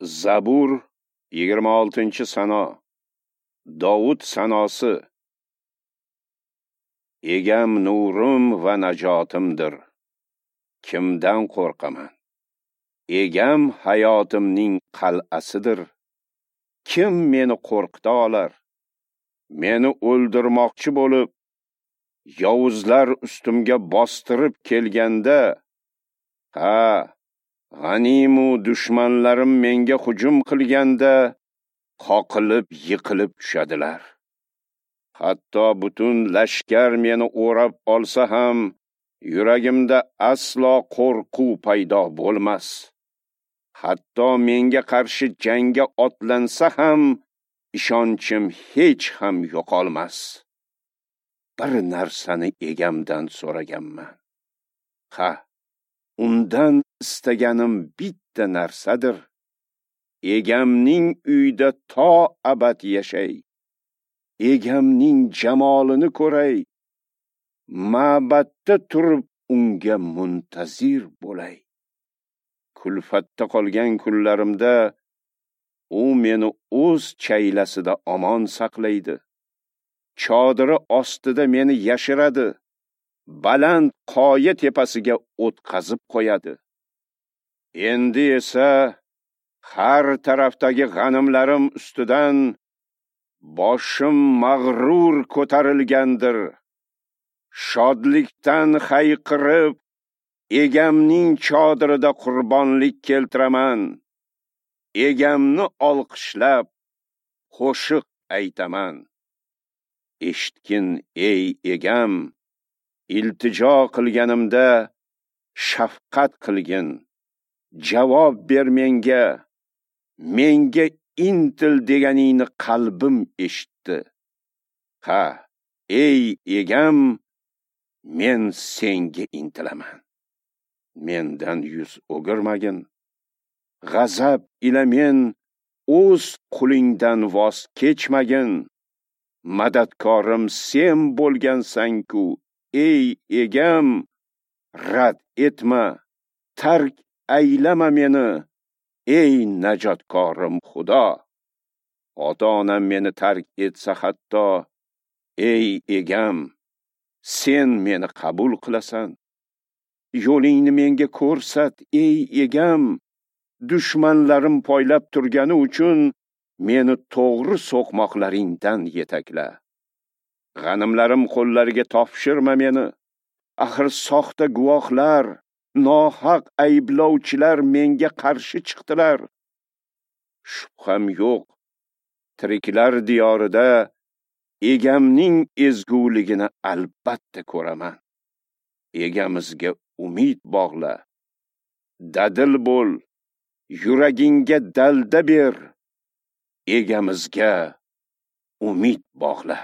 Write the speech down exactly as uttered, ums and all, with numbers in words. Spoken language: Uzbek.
Zabur yigirma oltinchi sano. Dovud sanosi. Egam nurim va najotimdir. Kimdan qo'rqaman? Egam hayotimning qal'asidir. Kim meni qo'rqita olar? Meni o'ldirmoqchi bo'lib, yovuzlar ustimga bostirib kelganda, ha, g'animu dushmanlarim menga hujum qilganda, qoqilib yiqilib tushadilar. Hatto butun lashkar meni o'rab olsa ham, yuragimda aslo qo'rquv paydo bo'lmas. Hatto menga qarshi jangga otlansa ham, ishonchim hech ham yo'qolmas. Bir narsani egamdan so'raganman. Ha, undan istaganim bitta narsadir. Egamning uyida to abad yashay. Egamning jamolini ko'ray. Ma'batda turib unga muntazir bo'lay. Kulfatda qolgan kunlarimda u meni o'z chaylasida omon saqlaydi. Chodiri ostida meni yashiradi. Baland qoya tepasiga o'tqazib qo'yadi. Endi esa har tarafdagi g'animlarim ustidan boshim mag'rur ko'tarilgandir. Shodlikdan hayqirib, egamning chodirida qurbonlik keltiraman. Egamni olqishlab qo'shiq aytaman. Eshitgin ey egam, iltijo qilganimda shafqat qilgin. Javob ber menga. Menga intil deganingni qalbim eshitdi. Ha, ey egam, men senga intilaman. Mendan yuz o'girmagin. G'azab ila men o'z qulingdan voz kechmagin. Madadkorim sen bo'lgansan-ku, ey egam, rad etma, tark aylama meni, ey najotkorim Xudo. Ota-onam meni tark etsa hatto, ey egam, sen meni qabul qilasan. Yo'lingni menga ko'rsat, ey egam. Dushmanlarim poylab turgani uchun meni to'g'ri so'qmoqlaringdan yetakla. G'animlarim qo'llariga topshirma meni. Axir soxta guvohlar, nohaq ayblovchilar menga qarshi chiqdilar. Shubham yo'q, tiriklar diyorida egamning ezguligini albatta ko'raman. Egamizga umid bog'la. Dadil bo'l, yuragingga dalda ber. Egamizga umid bog'la.